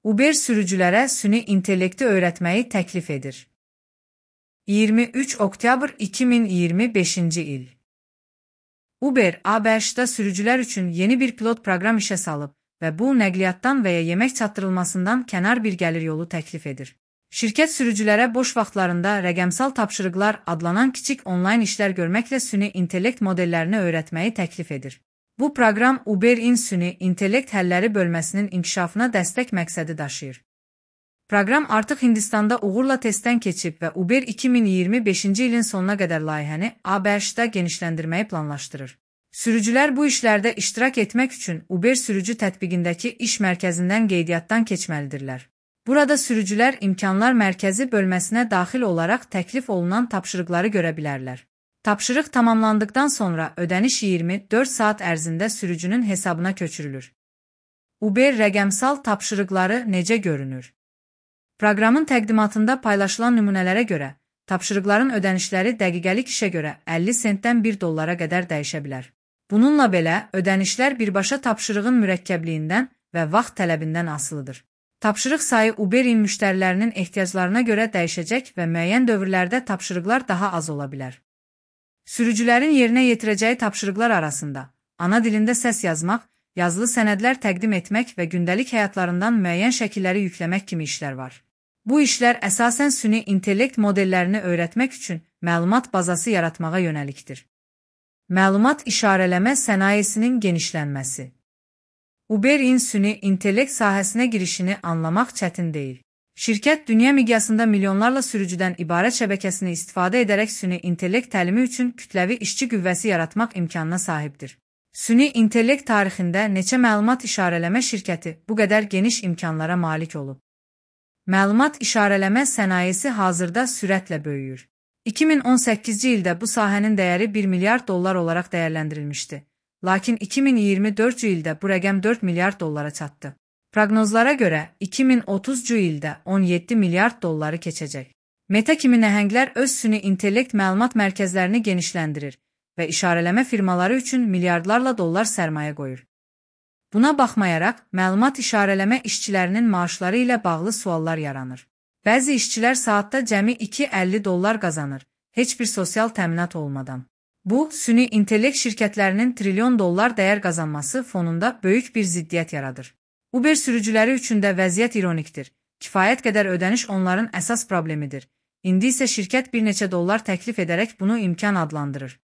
Uber sürücülərə süni intellekti öyrətməyi təklif edir. 23 oktyabr 2025-ci il. Uber, ABŞ-da sürücülər üçün yeni bir pilot proqram işə salıb və bu, nəqliyyatdan və ya yemək çatdırılmasından kənar bir gəlir yolu təklif edir. Şirkət sürücülərə boş vaxtlarında rəqəmsal tapşırıqlar adlanan kiçik onlayn işlər görməklə süni intellekt modellərini öyrətməyi təklif edir. Bu proqram Uber-in süni intellekt həlləri bölməsinin inkişafına dəstək məqsədi daşıyır. Proqram artıq Hindistanda uğurla testdən keçib və Uber 2025-ci ilin sonuna qədər layihəni ABŞ-da genişləndirməyi planlaşdırır. Sürücülər bu işlərdə iştirak etmək üçün Uber sürücü tətbiqindəki iş mərkəzindən qeydiyyatdan keçməlidirlər. Burada sürücülər imkanlar mərkəzi bölməsinə daxil olaraq təklif olunan tapşırıqları görə bilərlər. Tapşırıq tamamlandıqdan sonra ödəniş 24 saat ərzində sürücünün hesabına köçürülür. Uber rəqəmsal tapşırıqları necə görünür? Proqramın təqdimatında paylaşılan nümunələrə görə, tapşırıqların ödənişləri dəqiqəlik işə görə 50 sentdən $1 qədər dəyişə bilər. Bununla belə, ödənişlər birbaşa tapşırığın mürəkkəbliyindən və vaxt tələbindən asılıdır. Tapşırıq sayı Uber-in müştərilərinin ehtiyaclarına görə dəyişəcək və müəyyən dövrlərdə tapşırıqlar daha az ola bilər. Sürücülərin yerinə yetirəcəyi tapşırıqlar arasında ana dilində səs yazmaq, yazılı sənədlər təqdim etmək və gündəlik həyatlarından müəyyən şəkilləri yükləmək kimi işlər var. Bu işlər əsasən süni intellekt modellərini öyrətmək üçün məlumat bazası yaratmağa yönəlikdir. Məlumat işarələmə sənayesinin genişlənməsi. Uber-in süni intellekt sahəsinə girişini anlamaq çətin deyil. Şirkət dünya miqyasında milyonlarla sürücüdən ibarət şəbəkəsini istifadə edərək süni intellekt təlimi üçün kütləvi işçi qüvvəsi yaratmaq imkanına sahibdir. Süni intellekt tarixində neçə məlumat işarələmə şirkəti bu qədər geniş imkanlara malik olub. Məlumat işarələmə sənayesi hazırda sürətlə böyüyür. 2018-ci ildə bu sahənin dəyəri $1 milyard olaraq dəyərləndirilmişdi. Lakin 2024-cü ildə bu rəqəm $4 milyard çatdı. Proqnozlara görə 2030-cu ildə $17 milyard keçəcək. Meta kimi nəhənglər öz süni intellekt məlumat mərkəzlərini genişləndirir və işarələmə firmaları üçün milyardlarla dollar sərmayə qoyur. Buna baxmayaraq, məlumat işarələmə işçilərinin maaşları ilə bağlı suallar yaranır. Bəzi işçilər saatda cəmi $2.50 qazanır, heç bir sosial təminat olmadan. Bu, süni intellekt şirkətlərinin trilyon dollar dəyər qazanması fonunda böyük bir ziddiyyət yaradır. Uber sürücüləri üçün də vəziyyət ironikdir. Kifayət qədər ödəniş onların əsas problemidir. İndi isə şirkət bir neçə dollar təklif edərək bunu imkan adlandırır.